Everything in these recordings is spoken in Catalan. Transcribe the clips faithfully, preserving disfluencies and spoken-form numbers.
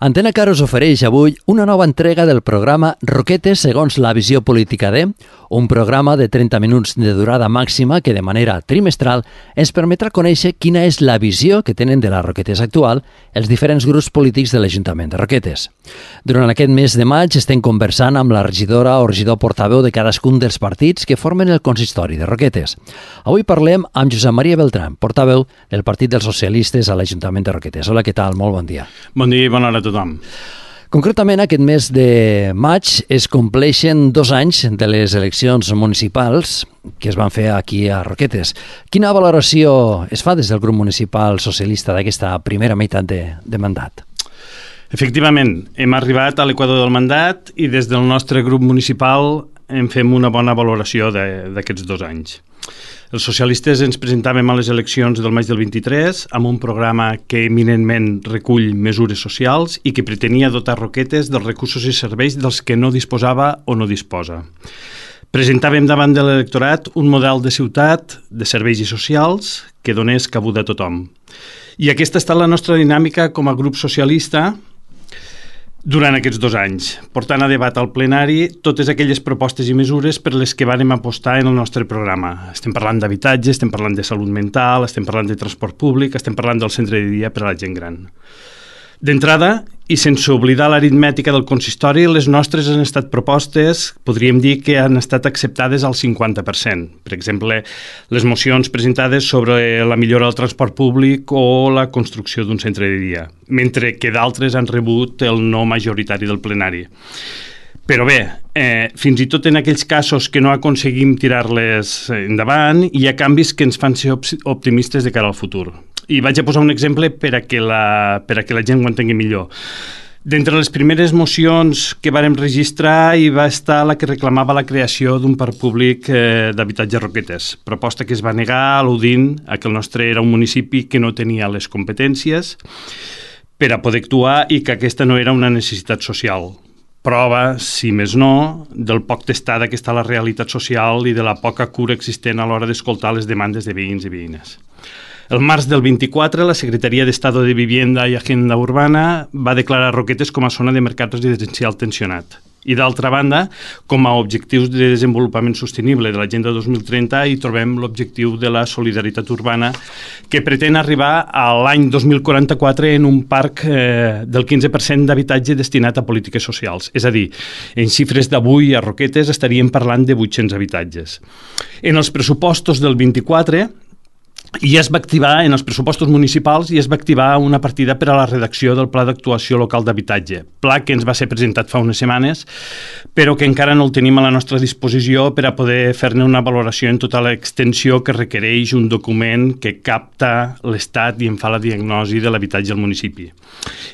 Antena Car us ofereix avui una nova entrega del programa Roquetes segons la visió política de, un programa de trenta minuts de durada màxima que de manera trimestral ens permetrà conèixer quina és la visió que tenen de la Roquetes actual els diferents grups polítics de l'Ajuntament de Roquetes. Durant aquest mes de maig estem conversant amb la regidora o regidor portaveu de cadascun dels partits que formen el consistori de Roquetes. Avui parlem amb Josep Maria Beltrán, portaveu del Partit dels Socialistes a l'Ajuntament de Roquetes. Hola, què tal? Molt bon dia. Bon dia i bona hora a tothom. Concretament, aquest mes de maig es compleixen dos anys de les eleccions municipals que es van fer aquí a Roquetes. Quina valoració es fa des del grup municipal socialista d'aquesta primera meitat de, de mandat? Efectivament, hem arribat a l'equador del mandat i des del nostre grup municipal en fem una bona valoració d'aquests dos anys. Els socialistes ens presentàvem a les eleccions del maig del vint-i-tres amb un programa que eminentment recull mesures socials i que pretenia dotar Roquetes dels recursos i serveis dels que no disposava o no disposa. Presentàvem davant de l'electorat un model de ciutat, de serveis i socials, que donés cabuda a tothom. I aquesta ha estat la nostra dinàmica com a grup socialista durant aquests dos anys, portant a debat al plenari totes aquelles propostes i mesures per les que vàrem apostar en el nostre programa. Estem parlant d'habitatge, estem parlant de salut mental, estem parlant de transport públic, estem parlant del centre de dia per a la gent gran. D'entrada, i sense oblidar l'aritmètica del consistori, les nostres han estat propostes, podríem dir que han estat acceptades al cinquanta per cent. Per exemple, les mocions presentades sobre la millora del transport públic o la construcció d'un centre de dia, mentre que d'altres han rebut el no majoritari del plenari. Però bé, eh, fins i tot en aquells casos que no aconseguim tirar-les endavant, hi ha canvis que ens fan ser optimistes de cara al futur. I vaig a posar un exemple per a que la, per a que la gent ho entengui millor. D'entre les primeres mocions que vàrem registrar hi va estar la que reclamava la creació d'un parc públic eh, d'habitatge Roquetes, proposta que es va negar al·ludint a que el nostre era un municipi que no tenia les competències per a poder actuar i que aquesta no era una necessitat social. Prova, si més no, del poc testada que està la realitat social i de la poca cura existent a l'hora d'escoltar les demandes de veïns i veïnes. El març del vint-i-quatre, la Secretaria d'Estado de Vivienda i Agenda Urbana va declarar Roquetes com a zona de mercat residencial tensionat. I d'altra banda, com a objectius de desenvolupament sostenible de l'Agenda dos mil trenta hi trobem l'objectiu de la solidaritat urbana que pretén arribar a l'any dos mil quaranta-quatre en un parc eh, del quinze per cent d'habitatge destinat a polítiques socials. És a dir, en xifres d'avui a Roquetes estaríem parlant de vuit-cents habitatges. En els pressupostos del vint-i-quatre i es va activar, en els pressupostos municipals, i es va activar una partida per a la redacció del Pla d'Actuació Local d'Habitatge, pla que ens va ser presentat fa unes setmanes, però que encara no el tenim a la nostra disposició per a poder fer-ne una valoració en tota l'extensió que requereix un document que capta l'estat i en fa la diagnosi de l'habitatge al municipi.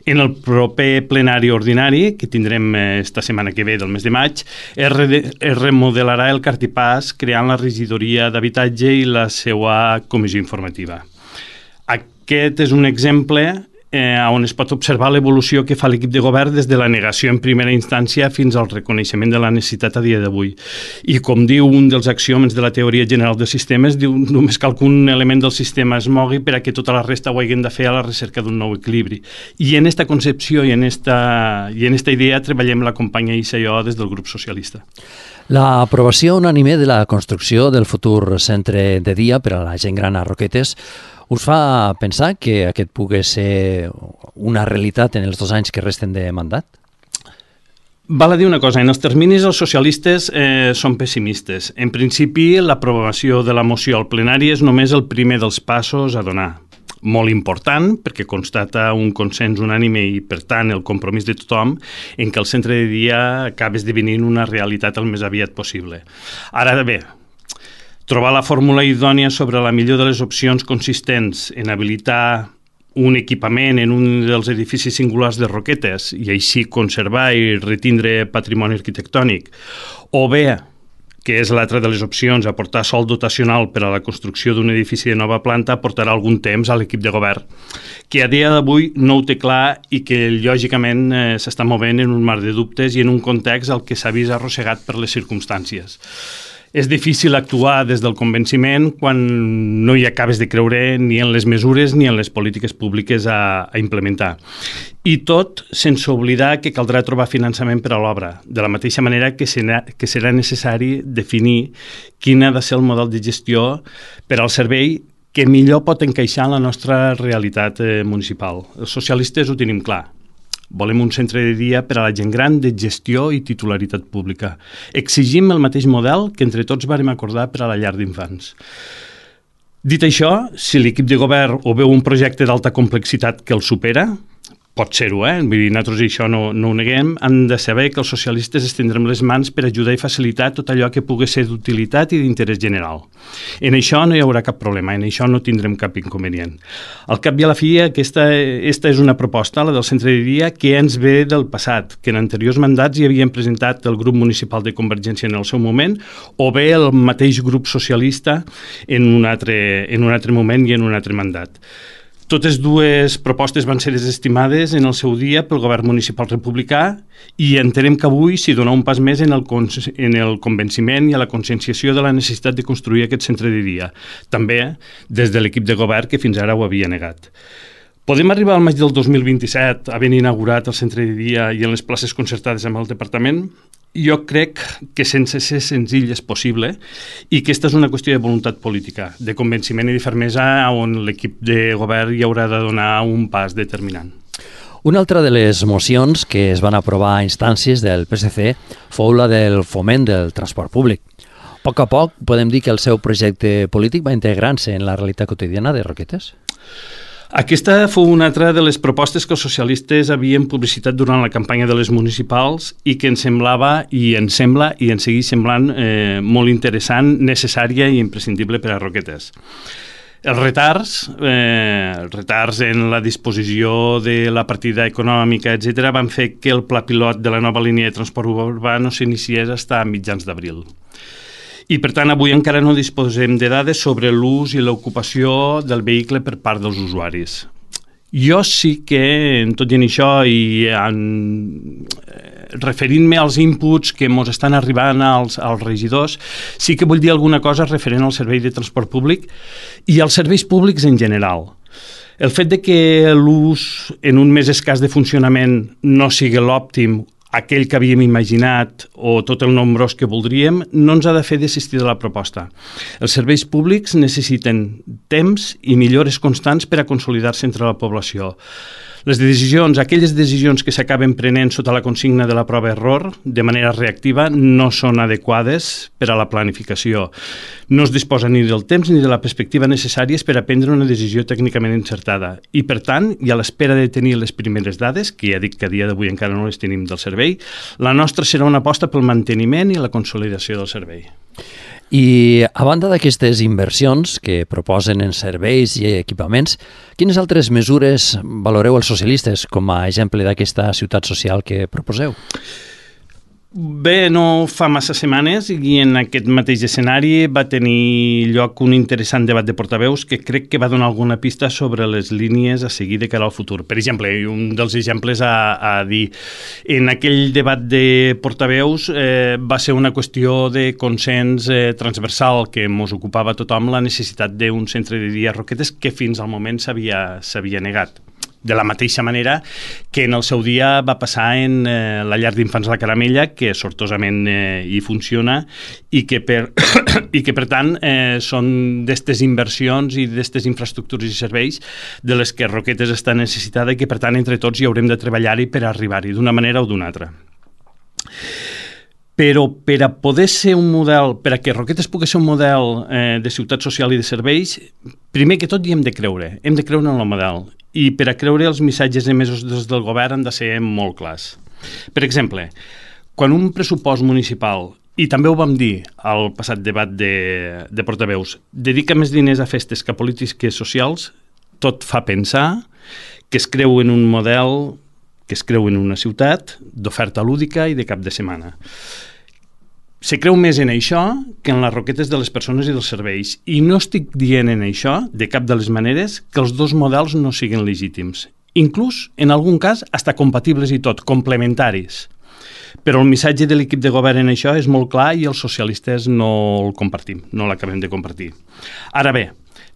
En el proper plenari ordinari, que tindrem esta setmana que ve del mes de maig, es, re es remodelarà el cartipàs creant la regidoria d'habitatge i la seva comissió informativa. Aquest és un exemple eh, on es pot observar l'evolució que fa l'equip de govern des de la negació en primera instància fins al reconeixement de la necessitat a dia d'avui. I com diu un dels axiomes de la teoria general de sistemes, diu només cal que un element del sistema es mogui per a que tota la resta ho haguem de fer a la recerca d'un nou equilibri. I en esta concepció i en esta, i en esta idea treballem la companya Isa i jo des del grup socialista. L'aprovació unànime de la construcció del futur centre de dia per a la gent gran a Roquetes us fa pensar que aquest pugui ser una realitat en els dos anys que resten de mandat? Val a dir una cosa, en els terminis els socialistes eh, són pessimistes. En principi, l'aprovació de la moció al plenari és només el primer dels passos a donar. Molt important, perquè constata un consens unànime i, per tant, el compromís de tothom en què el centre de dia acaba esdevenint una realitat el més aviat possible. Ara bé, trobar la fórmula idònia sobre la millor de les opcions consistents en habilitar un equipament en un dels edificis singulars de Roquetes i així conservar i retindre patrimoni arquitectònic, o bé, que és l'altra de les opcions, aportar sòl dotacional per a la construcció d'un edifici de nova planta, portarà algun temps a l'equip de govern, que a dia d'avui no ho té clar i que lògicament eh, s'està movent en un mar de dubtes i en un context al que s'ha vist arrossegat per les circumstàncies. És difícil actuar des del convenciment quan no hi acabes de creure ni en les mesures ni en les polítiques públiques a, a implementar. I tot sense oblidar que caldrà trobar finançament per a l'obra, de la mateixa manera que serà, que serà necessari definir quin ha de ser el model de gestió per al servei que millor pot encaixar en la nostra realitat eh, municipal. Els socialistes ho tenim clar. Volem un centre de dia per a la gent gran de gestió i titularitat pública. Exigim el mateix model que entre tots vàrem acordar per a la llar d'infants. Dit això, si l'equip de govern o veu un projecte d'alta complexitat que el supera, pot ser-ho, eh? Vull dir, nosaltres això no, no ho neguem, han de saber que els socialistes estendrem les mans per ajudar i facilitar tot allò que pugui ser d'utilitat i d'interès general. En això no hi haurà cap problema, en això no tindrem cap inconvenient. Al cap i a la fi, aquesta, aquesta és una proposta, la del centre de dia, que ens ve del passat, que en anteriors mandats hi havien presentat el grup municipal de Convergència en el seu moment, o bé el mateix grup socialista en un altre, en un altre moment i en un altre mandat. Totes dues propostes van ser desestimades en el seu dia pel govern municipal republicà i entenem que avui s'hi dona un pas més en el, en el convenciment i a la conscienciació de la necessitat de construir aquest centre de dia, també des de l'equip de govern que fins ara ho havia negat. Podem arribar al maig del dos mil vint-i-set havent inaugurat el centre de dia i en les places concertades amb el departament? Jo crec que sense ser senzill és possible i que aquesta és una qüestió de voluntat política, de convenciment i de fermesa on l'equip de govern hi haurà de donar un pas determinant. Una altra de les mocions que es van aprovar a instàncies del P S C fou la del foment del transport públic. A poc a poc podem dir que el seu projecte polític va integrant-se en la realitat quotidiana de Roquetes? Aquesta fou una altra de les propostes que els socialistes havien publicitat durant la campanya de les municipals i que ens semblava, i ens sembla, i ens segueix semblant eh, molt interessant, necessària i imprescindible per a Roquetes. Els retards, eh, els retards en la disposició de la partida econòmica, etcètera, van fer que el pla pilot de la nova línia de transport urbà no s'iniciés fins a mitjans d'abril. I, per tant, avui encara no disposem de dades sobre l'ús i l'ocupació del vehicle per part dels usuaris. Jo sí que, en tot i en això, i en, referint-me als inputs que ens estan arribant als, als regidors, sí que vull dir alguna cosa referent al servei de transport públic i als serveis públics en general. El fet de que l'ús en un mes escàs de funcionament no sigui l'òptim, aquell que havíem imaginat o tot el nombrós que voldríem, no ens ha de fer desistir de la proposta. Els serveis públics necessiten temps i millores constants per a consolidar-se entre la població. Les decisions, aquelles decisions que s'acaben prenent sota la consigna de la prova-error, de manera reactiva, no són adequades per a la planificació. No es disposa ni del temps ni de la perspectiva necessàries per a prendre una decisió tècnicament encertada. I, per tant, i a l'espera de tenir les primeres dades, que ja dic que a dia d'avui encara no les tenim del servei, la nostra serà una aposta pel manteniment i la consolidació del servei. I a banda d'aquestes inversions que proposen en serveis i equipaments, quines altres mesures valoreu els socialistes com a exemple d'aquesta ciutat social que proposeu? Bé, no fa massa setmanes i en aquest mateix escenari va tenir lloc un interessant debat de portaveus que crec que va donar alguna pista sobre les línies a seguir de cara al futur. Per exemple, un dels exemples a, a dir, en aquell debat de portaveus eh, va ser una qüestió de consens eh, transversal que ens ocupava tothom la necessitat d'un centre de dia a Roquetes que fins al moment s'havia s'havia negat. De la mateixa manera que en el seu dia va passar en eh, la llar d'infants La Caramella, que sortosament eh, hi funciona i que per, i que, per tant eh, són d'aquestes inversions i d'aquestes infraestructures i serveis de les que Roquetes està necessitada i que, per tant, entre tots hi haurem de treballar-hi per arribar-hi d'una manera o d'una altra. Però per a poder ser un model, per a que Roquetes pugui ser un model eh, de ciutat social i de serveis, primer que tot hi hem de creure, hem de creure en el model. I per a creure els missatges emesos des del govern han de ser molt clars. Per exemple, quan un pressupost municipal, i també ho vam dir al passat debat de, de portaveus, dedica més diners a festes que a polítiques socials, tot fa pensar que es creu en un model, que es creu en una ciutat d'oferta lúdica i de cap de setmana. Se creu més en això que en les roquetes de les persones i dels serveis. I no estic dient en això, de cap de les maneres, que els dos models no siguin legítims. Inclús, en algun cas, hasta compatibles i tot, complementaris. Però el missatge de l'equip de govern en això és molt clar i els socialistes no el compartim, no l'acabem de compartir. Ara bé,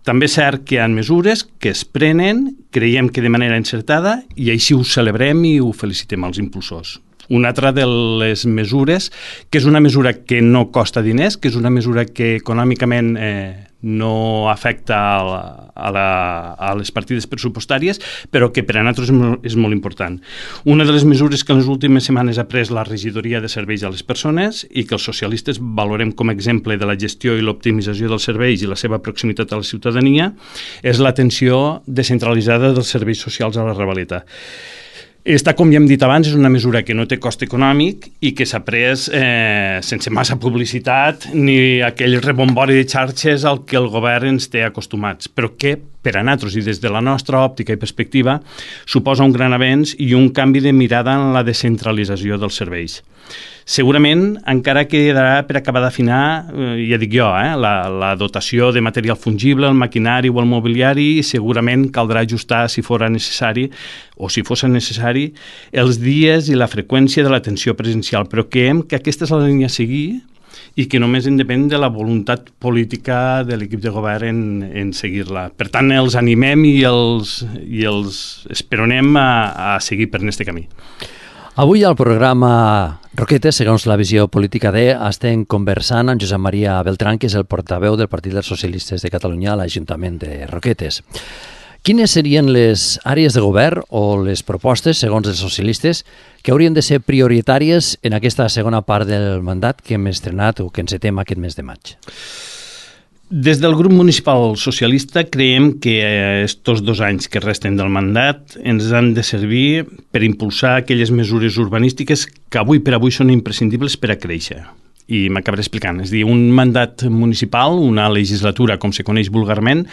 també és cert que hi ha mesures que es prenen, creiem que de manera encertada, i així ho celebrem i ho felicitem als impulsors. Una altra de les mesures, que és una mesura que no costa diners, que és una mesura que econòmicament eh, no afecta a, la, a, la, a les partides pressupostàries, però que per a nosaltres és molt, és molt important. Una de les mesures que en les últimes setmanes ha pres la regidoria de serveis a les persones i que els socialistes valorem com a exemple de la gestió i l'optimització dels serveis i la seva proximitat a la ciutadania és l'atenció descentralitzada dels serveis socials a la Ravaleta. Esta, com ja hem dit abans, és una mesura que no té cost econòmic i que s'ha pres eh, sense massa publicitat ni aquell rebombori de xarxes al que el govern ens té acostumats, però que per a nosaltres i des de la nostra òptica i perspectiva suposa un gran avenç i un canvi de mirada en la descentralització dels serveis. Segurament encara quedarà per acabar d'afinar, eh, ja dic jo, eh, la, la dotació de material fungible, el maquinari o el mobiliari, i segurament caldrà ajustar, si fora necessari, o si fos necessari, els dies i la freqüència de l'atenció presencial, però creiem que aquesta és la línia a seguir i que només en depèn de la voluntat política de l'equip de govern en, en seguir-la. Per tant, els animem i els, i els esperonem a, a seguir per aquest camí. Avui al programa Roquetes, segons la visió política de, estem conversant amb Josep Maria Beltrán, que és el portaveu del Partit dels Socialistes de Catalunya a l'Ajuntament de Roquetes. Quines serien les àrees de govern o les propostes, segons els socialistes, que haurien de ser prioritàries en aquesta segona part del mandat que hem estrenat o que encetem aquest mes de maig? Des del grup municipal socialista creiem que estos dos anys que resten del mandat ens han de servir per impulsar aquelles mesures urbanístiques que avui per avui són imprescindibles per a créixer. I m'acabaré explicant. És a dir, un mandat municipal, una legislatura, com se coneix vulgarment,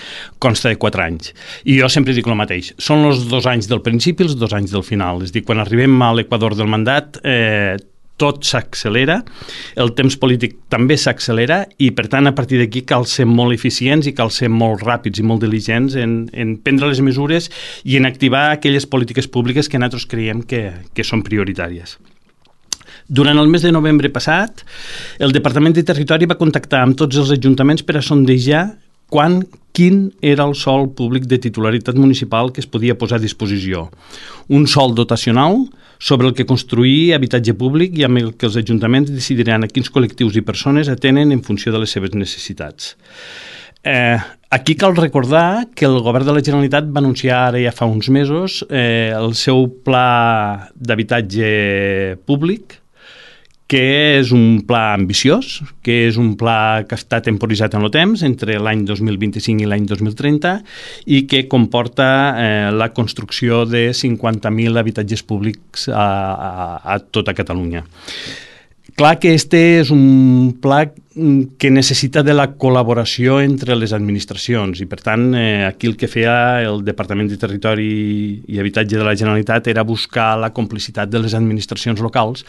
consta de quatre anys. I jo sempre dic el mateix. Són els dos anys del principi i els dos anys del final. És a dir, quan arribem a l'equador del mandat, eh, tot s'accelera, el temps polític també s'accelera i, per tant, a partir d'aquí cal ser molt eficients i cal ser molt ràpids i molt diligents en, en prendre les mesures i en activar aquelles polítiques públiques que nosaltres creiem que, que són prioritàries. Durant el mes de novembre passat, el Departament de Territori va contactar amb tots els ajuntaments per a sondejar quan, quin era el sòl públic de titularitat municipal que es podia posar a disposició. Un sòl dotacional sobre el que construir habitatge públic i amb el que els ajuntaments decidiran a quins col·lectius i persones atenen en funció de les seves necessitats. Eh, aquí cal recordar que el govern de la Generalitat va anunciar ara ja fa uns mesos eh, el seu pla d'habitatge públic, que és un pla ambiciós, que és un pla que està temporitzat en el temps, entre l'any dos mil vint-i-cinc i l'any dos mil trenta, i que comporta eh, la construcció de cinquanta mil habitatges públics a, a, a tota Catalunya. Clar que este és un pla que necessita de la col·laboració entre les administracions i, per tant, eh, aquí el que feia el Departament de Territori i Habitatge de la Generalitat era buscar la complicitat de les administracions locals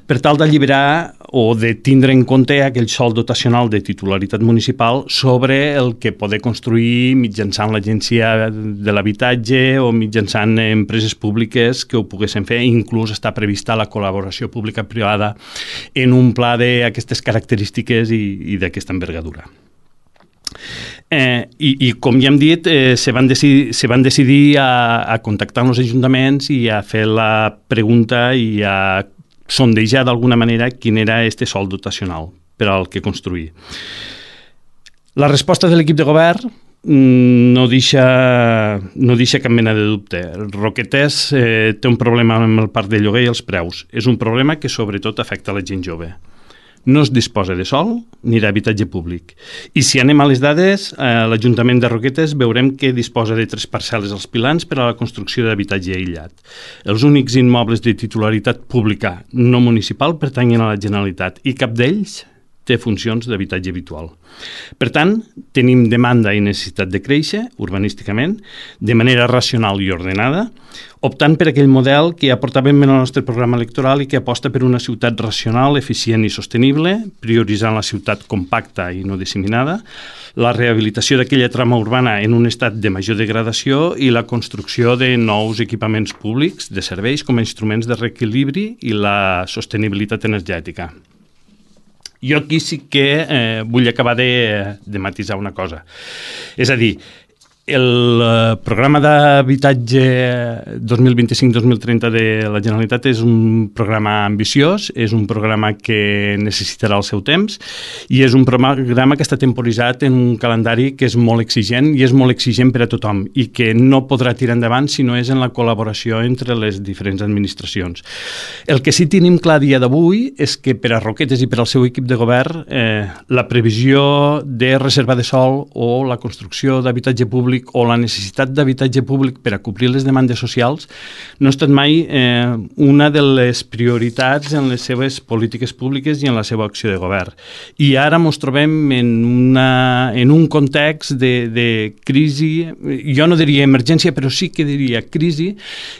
per tal d'alliberar o de tindre en compte aquell sòl dotacional de titularitat municipal sobre el que poder construir mitjançant l'Agència de l'Habitatge o mitjançant empreses públiques que ho poguessin fer. Inclús està prevista la col·laboració pública-privada en un pla d'aquestes característiques i, i d'aquesta envergadura. Eh, i, I com ja hem dit, eh, se, van decidir, se van decidir a, a contactar amb els ajuntaments i a fer la pregunta i a sondejar d'alguna manera quin era este sòl dotacional per al que construir. La resposta de l'equip de govern no deixa, no deixa cap mena de dubte. Roquetes eh, té un problema amb el parc de lloguer i els preus. És un problema que sobretot afecta la gent jove. No es disposa de sòl ni d'habitatge públic. I si anem a les dades, a l'Ajuntament de Roquetes veurem que disposa de tres parcel·les als pilans per a la construcció d'habitatge aïllat. Els únics immobles de titularitat pública no municipal pertanyen a la Generalitat i cap d'ells té funcions d'habitatge habitual. Per tant, tenim demanda i necessitat de créixer urbanísticament de manera racional i ordenada, optant per aquell model que ja portàvem en el nostre programa electoral i que aposta per una ciutat racional, eficient i sostenible, prioritzant la ciutat compacta i no disseminada, la rehabilitació d'aquella trama urbana en un estat de major degradació i la construcció de nous equipaments públics de serveis com a instruments de reequilibri i la sostenibilitat energètica. Jo aquí sí que eh, vull acabar de, de matisar una cosa. És a dir, el eh, programa d'habitatge dos mil vint-i-cinc dos mil trenta de la Generalitat és un programa ambiciós, és un programa que necessitarà el seu temps i és un programa que està temporitzat en un calendari que és molt exigent i és molt exigent per a tothom i que no podrà tirar endavant si no és en la col·laboració entre les diferents administracions. El que sí tenim clar a dia d'avui és que per a Roquetes i per al seu equip de govern eh, la previsió de reserva de sòl o la construcció d'habitatge públic o la necessitat d'habitatge públic per a cobrir les demandes socials no ha estat mai eh, una de les prioritats en les seves polítiques públiques i en la seva acció de govern. I ara ens trobem en, una, en un context de, de crisi, jo no diria emergència, però sí que diria crisi,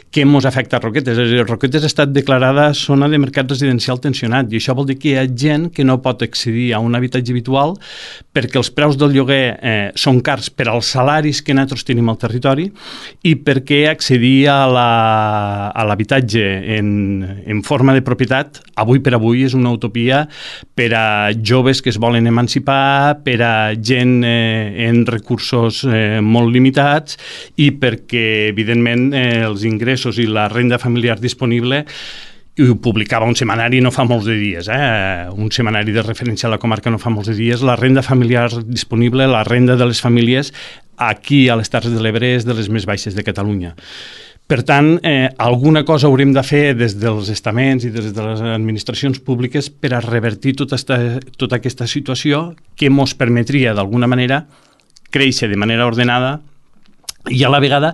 que ens afecta a Roquetes. Roquetes ha estat declarada zona de mercat residencial tensionat i això vol dir que hi ha gent que no pot accedir a un habitatge habitual perquè els preus del lloguer eh, són cars per als salaris que que nosaltres tenim al territori i perquè accedir a l'habitatge la, en, en forma de propietat avui per avui és una utopia per a joves que es volen emancipar, per a gent eh, en recursos eh, molt limitats i perquè, evidentment, eh, els ingressos i la renda familiar disponible i ho publicava un setmanari no fa molts de dies, eh? un setmanari de referència a la comarca no fa molts de dies, la renda familiar disponible, la renda de les famílies aquí a les Terres de l'Ebre és de les més baixes de Catalunya. Per tant, eh, alguna cosa haurem de fer des dels estaments i des de les administracions públiques per a revertir tota, esta, tota aquesta situació que ens permetria d'alguna manera créixer de manera ordenada i a la vegada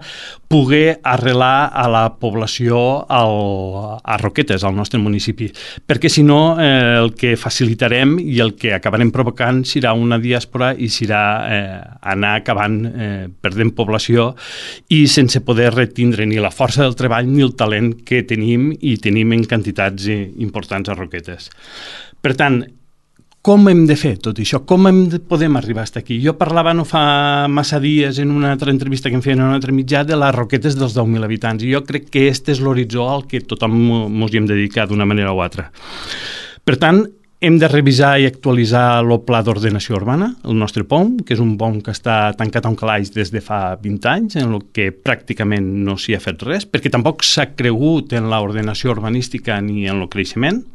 poder arrelar a la població al, a Roquetes, al nostre municipi. Perquè si no, eh, el que facilitarem i el que acabarem provocant serà una diàspora i serà eh, anar acabant eh, perdent població i sense poder retindre ni la força del treball ni el talent que tenim i tenim en quantitats importants a Roquetes. Per tant, com hem de fer tot això? Com hem de, podem arribar fins aquí? Jo parlava no fa massa dies en una altra entrevista que em feien en un altre mitjà de les Roquetes dels deu mil habitants i jo crec que aquest és l'horitzó al que tothom ens hi hem de dedicar d'una manera o altra. Per tant, hem de revisar i actualitzar el Pla d'Ordenació Urbana, el nostre P O M, que és un P O M que està tancat a un calaix des de fa vint anys, en el que pràcticament no s'hi ha fet res, perquè tampoc s'ha cregut en l'ordenació urbanística ni en el creixement.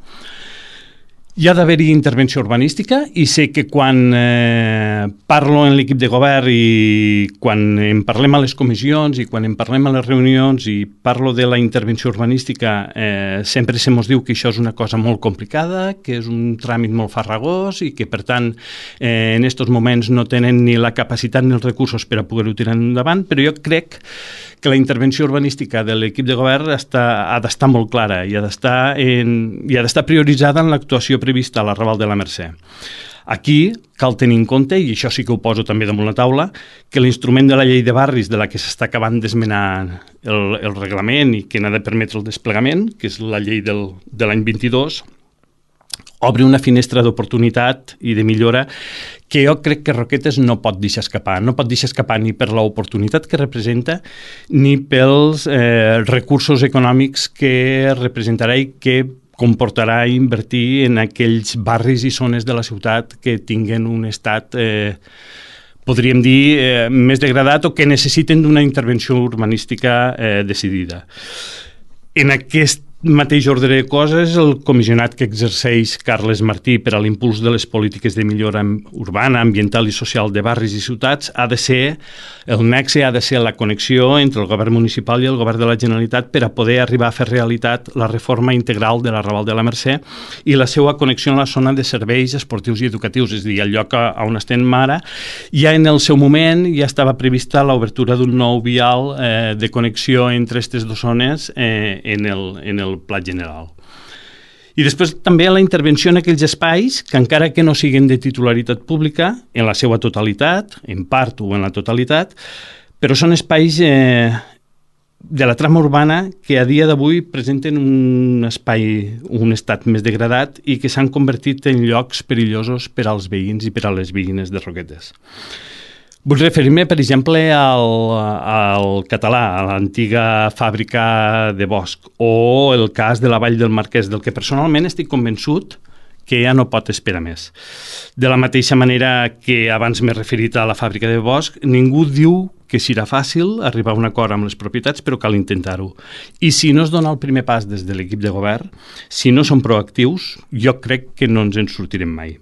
Hi ha d'haver-hi intervenció urbanística i sé que quan eh, parlo en l'equip de govern i quan en parlem a les comissions i quan en parlem a les reunions i parlo de la intervenció urbanística eh, sempre se mos diu que això és una cosa molt complicada, que és un tràmit molt farragós i que per tant eh, en aquests moments no tenen ni la capacitat ni els recursos per a poder-ho tirar endavant, però jo crec que la intervenció urbanística de l'equip de govern està, ha d'estar molt clara i ha d'estar en, i ha d'estar prioritzada en l'actuació prevista a la Raval de la Mercè. Aquí cal tenir en compte, i això sí que ho poso també damunt la taula, que l'instrument de la llei de barris de la que s'està acabant d'esmenar el, el reglament i que n'ha de permetre el desplegament, que és la llei del, de l'any vint-i-dos, obre una finestra d'oportunitat i de millora que jo crec que Roquetes no pot deixar escapar. No pot deixar escapar ni per l'oportunitat que representa ni pels eh, recursos econòmics que representarà i que comportarà invertir en aquells barris i zones de la ciutat que tinguen un estat, eh, podríem dir, eh, més degradat o que necessiten d'una intervenció urbanística eh, decidida. En aquest mateix ordre de coses, el comissionat que exerceix Carles Martí per a l'impuls de les polítiques de millora urbana, ambiental i social de barris i ciutats ha de ser, el nexe ha de ser la connexió entre el govern municipal i el govern de la Generalitat per a poder arribar a fer realitat la reforma integral de la Raval de la Mercè i la seva connexió en la zona de serveis esportius i educatius, és a dir, el lloc on estem ara, ja en el seu moment ja estava prevista l'obertura d'un nou vial eh, de connexió entre aquestes dues zones eh, en el, en el pla general. I després també la intervenció en aquells espais que, encara que no siguin de titularitat pública, en la seva totalitat, en part o en la totalitat, però són espais eh, de la trama urbana que a dia d'avui presenten un espai, un estat més degradat i que s'han convertit en llocs perillosos per als veïns i per a les veïnes de Roquetes. Vull referir-me, per exemple, al, al Català, a l'antiga fàbrica de bosc, o el cas de la Vall del Marquès, del que personalment estic convençut que ja no pot esperar més. De la mateixa manera que abans m'he referit a la fàbrica de bosc, ningú diu que serà fàcil arribar a un acord amb les propietats, però cal intentar-ho. I si no es dona el primer pas des de l'equip de govern, si no som proactius, jo crec que no ens en sortirem mai.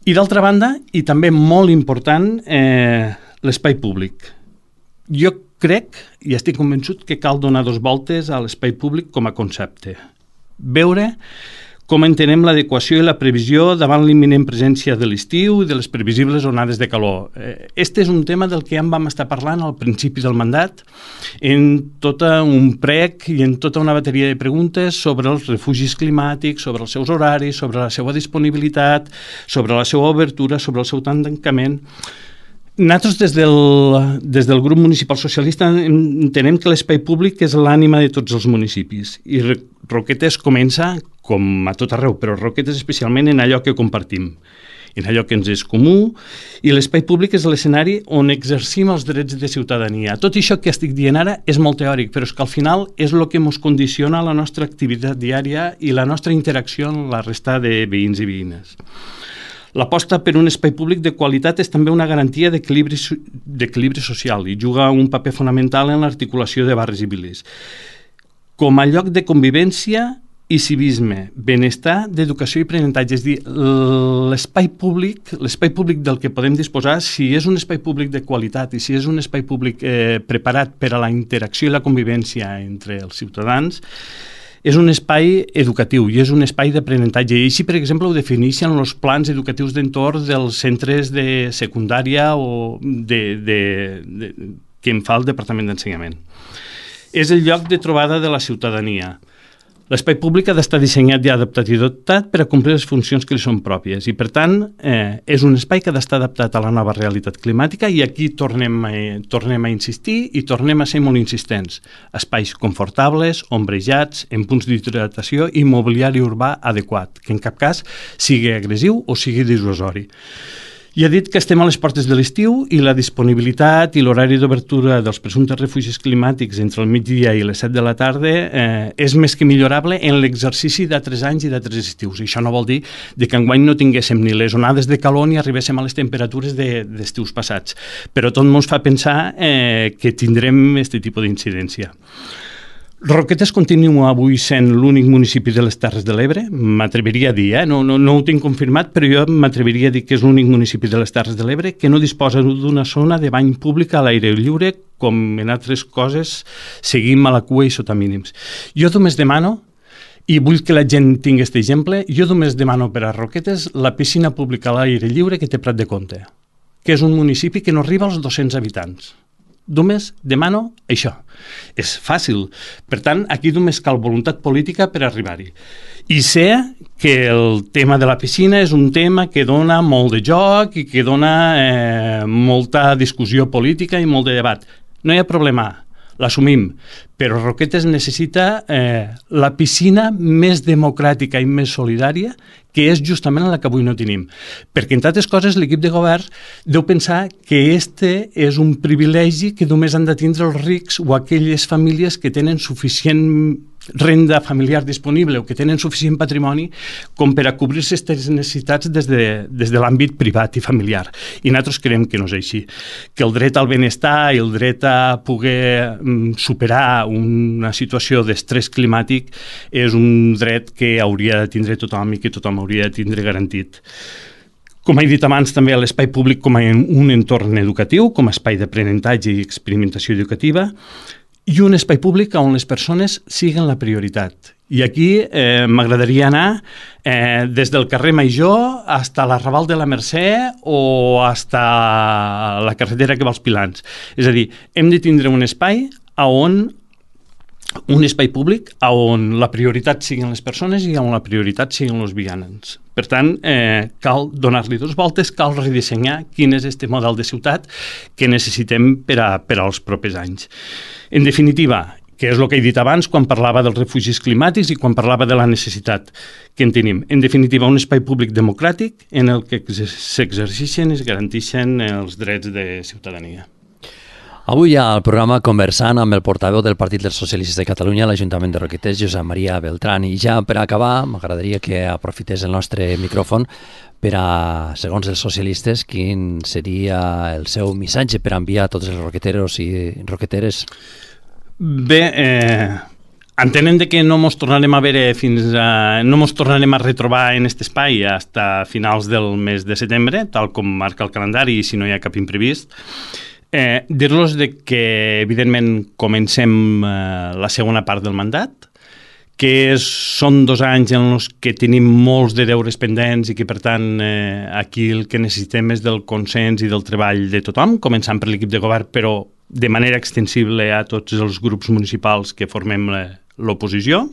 I d'altra banda, i també molt important, eh, l'espai públic. Jo crec, i estic convençut, que cal donar dos voltes a l'espai públic com a concepte. Veure com entenem l'adequació i la previsió davant l'imminent presència de l'estiu i de les previsibles onades de calor. Este és un tema del que ja en vam estar parlant al principi del mandat, en tot un prec i en tota una bateria de preguntes sobre els refugis climàtics, sobre els seus horaris, sobre la seva disponibilitat, sobre la seva obertura, sobre el seu tancament. Nosaltres, des del, des del grup municipal socialista, entenem que l'espai públic és l'ànima de tots els municipis i Roquetes comença, com a tot arreu, però Roquetes especialment en allò que compartim, en allò que ens és comú, i l'espai públic és l'escenari on exercim els drets de ciutadania. Tot això que estic dient ara és molt teòric, però és que al final és el que ens condiciona la nostra activitat diària i la nostra interacció amb la resta de veïns i veïnes. L'aposta per un espai públic de qualitat és també una garantia d'equilibri d'equilibri social i juga un paper fonamental en l'articulació de barris i viles. Com a lloc de convivència i civisme, benestar, d'educació i aprenentatge. És dir, l'espai públic, l'espai públic del que podem disposar, si és un espai públic de qualitat i si és un espai públic eh, preparat per a la interacció i la convivència entre els ciutadans, és un espai educatiu i és un espai d'aprenentatge. I així, per exemple, ho defineixen els plans educatius d'entorn dels centres de secundària o de, de, de, que en fa el Departament d'Ensenyament. És el lloc de trobada de la ciutadania. L'espai públic ha d'estar dissenyat i adaptat i dotat per a complir les funcions que li són pròpies i, per tant, eh, és un espai que ha d'estar adaptat a la nova realitat climàtica i aquí tornem a, tornem a insistir i tornem a ser molt insistents. Espais confortables, ombrejats, en punts d'hidratació i mobiliari urbà adequat, que en cap cas sigui agressiu o sigui dissuasori. I ha dit que estem a les portes de l'estiu i la disponibilitat i l'horari d'obertura dels presumptes refugis climàtics entre el migdia i les set de la tarda eh, és més que millorable en l'exercici d'altres anys i d'altres estius. I això no vol dir que enguany no tinguéssim ni les onades de calor ni arribéssim a les temperatures de, d'estius passats. Però tot ens fa pensar eh, que tindrem aquest tipus d'incidència. Roquetes continua avui sent l'únic municipi de les Terres de l'Ebre, m'atreviria a dir, eh? no, no, no ho tinc confirmat, però jo m'atreviria a dir que és l'únic municipi de les Terres de l'Ebre que no disposa d'una zona de bany pública a l'aire lliure, com en altres coses seguim a la cua i sota mínims. Jo només demano, i vull que la gent tingui aquest exemple, jo només demano per a Roquetes la piscina pública a l'aire lliure que té Prat de Comte, que és un municipi que no arriba als dos-cents habitants. Només demano això. És fàcil. Per tant, aquí només cal voluntat política per arribar-hi. I sé que el tema de la piscina és un tema que dona molt de joc i que dona eh, molta discussió política i molt de debat. No hi ha problema, l'assumim. Però Roquetes necessita eh, la piscina més democràtica i més solidària, que és justament la que avui no tenim. Perquè, entre altres coses, l'equip de govern deu pensar que este és un privilegi que només han de tindre els rics o aquelles famílies que tenen suficient renda familiar disponible o que tenen suficient patrimoni com per a cobrir aquestes necessitats des de, des de l'àmbit privat i familiar. I nosaltres creiem que no és així. Que el dret al benestar i el dret a poder mm, superar una situació d'estrès climàtic és un dret que hauria de tindre tothom i que tothom hauria de tindre garantit. Com he dit abans, també l'espai públic com a un entorn educatiu, com a espai d'aprenentatge i experimentació educativa, i un espai públic on les persones siguen la prioritat. I aquí eh, m'agradaria anar eh, des del carrer Major fins a l'arrabal de la Mercè o fins a la carretera que va als Pilans. És a dir, hem de tindre un espai on un espai públic on la prioritat siguin les persones i on la prioritat siguin els vianants. Per tant, eh, cal donar-li dos voltes, cal redissenyar quin és aquest model de ciutat que necessitem per, a, per als propers anys. En definitiva, que és el que he dit abans quan parlava dels refugis climàtics i quan parlava de la necessitat que en tenim. En definitiva, un espai públic democràtic en el que s'exerceixen i es garanteixen els drets de ciutadania. Avui al programa conversant amb el portaveu del Partit dels Socialistes de Catalunya a l'Ajuntament de Roquetes, Josep Maria Beltrán. I ja per acabar, m'agradaria que aprofités el nostre micròfon per a, segons els socialistes, quin seria el seu missatge per enviar a tots els roqueteros i roqueteres. Bé, eh, entenen de que no mos tornarem a veure fins a... no mos tornarem a retrobar en aquest espai fins a finals del mes de setembre, tal com marca el calendari i si no hi ha cap imprevist. Eh, dir-los de que, evidentment, comencem eh, la segona part del mandat, que és, són dos anys en els que tenim molts de deures pendents i que, per tant, eh, aquí el que necessitem és del consens i del treball de tothom, començant per l'equip de govern, però de manera extensible a tots els grups municipals que formem l'oposició,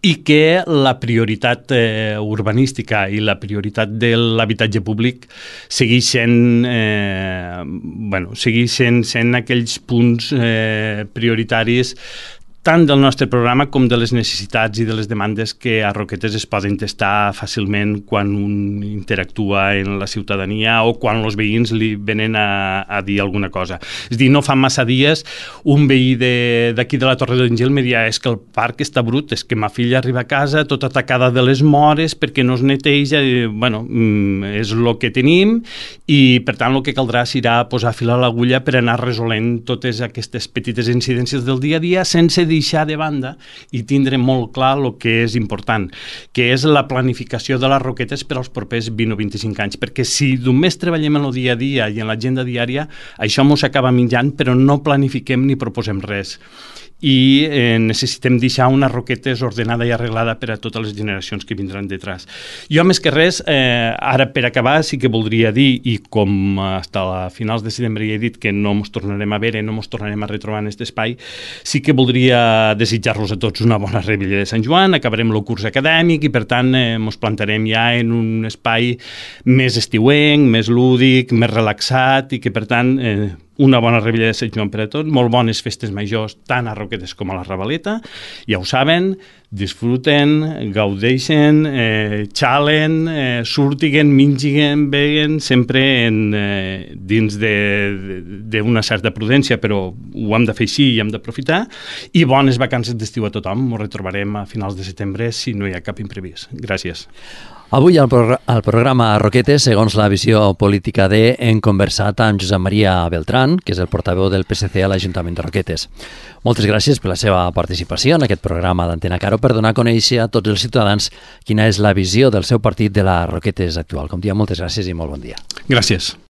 i que la prioritat eh, urbanística i la prioritat de l'habitatge públic segueix sent, eh, bueno, segueix sent, sent aquells punts eh, prioritaris tant del nostre programa com de les necessitats i de les demandes que a Roquetes es poden testar fàcilment quan un interactua en la ciutadania o quan els veïns li venen a, a dir alguna cosa. És a dir, no fa massa dies un veí d'aquí de, de la Torre d'Àngel me deia és que el parc està brut, és que ma filla arriba a casa tota atacada de les mores perquè no es neteja, i, bueno, és el que tenim i per tant el que caldrà serà posar fil a l'agulla per anar resolent totes aquestes petites incidències del dia a dia sense deixar de banda i tindre molt clar el que és important, que és la planificació de les Roquetes per als propers vint o vint-i-cinc anys, perquè si només treballem en el dia a dia i en l'agenda diària, això mos acaba menjant, però no planifiquem ni proposem res. I eh, necessitem deixar una Roquetes ordenada i arreglada per a totes les generacions que vindran detrás. Jo, més que res, eh, ara per acabar sí que voldria dir, i com fins a finals de setembre ja he dit que no ens tornarem a veure, no ens tornarem a retrobar en aquest espai, sí que voldria desitjar-los a tots una bona Rebella de Sant Joan, acabarem el curs acadèmic i per tant eh, ens plantarem ja en un espai més estiuenc, més lúdic, més relaxat i que per tant eh, una bona Rebella de Sant Joan per a tots, molt bones festes majors tant a Roquetes com a la Ravaleta, ja ho saben, disfruten, gaudeixen, eh, xalen, eh, surtiguen, mingiguen, veguen, sempre en, eh, dins d'una certa prudència, però ho hem de fer així i hem d'aprofitar, i bones vacances d'estiu a tothom, ens retrobarem a finals de setembre si no hi ha cap imprevist. Gràcies. Avui al, progr al programa Roquetes, segons la visió política de, hem conversat amb Josep Maria Beltrán, que és el portaveu del P S C a l'Ajuntament de Roquetes. Moltes gràcies per la seva participació en aquest programa d'Antena Caro per donar a conèixer a tots els ciutadans quina és la visió del seu partit de la Roquetes actual. Com dia, moltes gràcies i molt bon dia. Gràcies.